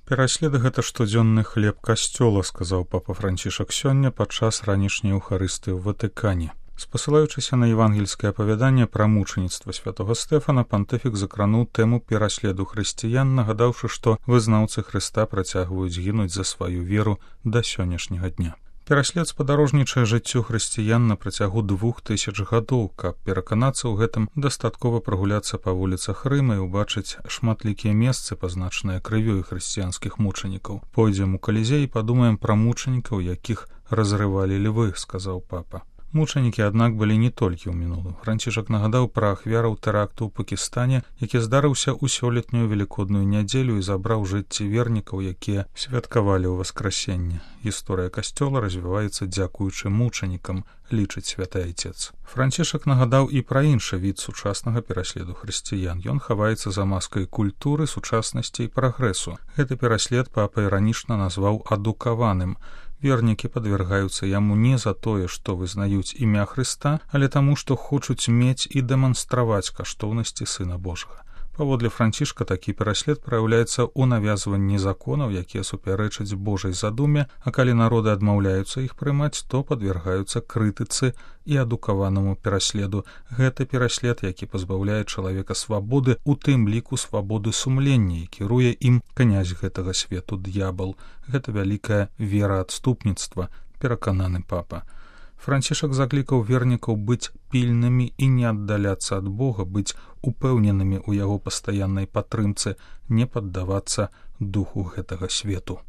Пераслед гэта штодзённы хлеб касцёла, сказаў папа Францішак сёння падчас ранішняй еўхарыстыі ў Ватыкане. Спасылаючыся на евангельскае апавяданне пра мучаніцтва святога Стэфана, пантыфік закрануў тэму пераследу хрысціян, нагадаўшы, што вызнаўцы Хрыста працягваюць гінуць за сваю веру да сённяшняга дня. Пераслед спадарожнічае жыццю хрысціян на працягу 2000 гадоў. Каб пераканацца ў гэтым, дастаткова прагуляцца па вуліцах Рыма і ўбачыць шматлікія месцы, пазначаныя крывёй хрысціянскіх мучанікаў. Пойдзем у Калізей і падумаем пра мучанікаў, якіх разрывалі львы, сказаў папа. Мучанікі, аднак, былі не толькі ў мінулым. Францішак нагадаў пра ахвяраў тэракту ў Пакістане, які здарыўся ў сёлетнюю велікодную нядзелю і забраў жыцці вернікаў, якія святкавалі ў васкрасенне. Гісторыя касцёла развіваецца дзякуючы мучанікам, лічыць святы айцец. Францішак нагадаў і пра іншы від сучаснага пераследу хрысціян. Ён хаваецца за маскай культуры, сучаснасці і прагрэсу. Гэты пераслед папа іранічна назваў адукаваным. Вернікі падвяргаюцца яму не за тое, што вызнаюць імя Хрыста, але таму, што хочуць мець і дэманстраваць каштоўнасці Сына Божага. Паводле Францішка, такі пераслед праяўляецца ў навязванні законаў, якія супярэчаць Божай задуме, а калі народы адмаўляюцца іх прымаць, то падвяргаюцца крытыцы і адукаванаму пераследу. Гэта пераслед, які пазбаўляе чалавека свабоды, у тым ліку свабоды сумлення, і кіруе ім князь гэтага свету д'ябал. Гэта вялікая вераадступніцтва, перакананы папа. Францішак заклікаў вернікаў быць пільнымі і не аддаляцца ад Бога, быць упэўненымі ў яго пастаяннай падтрымцы, не паддавацца духу гэтага свету.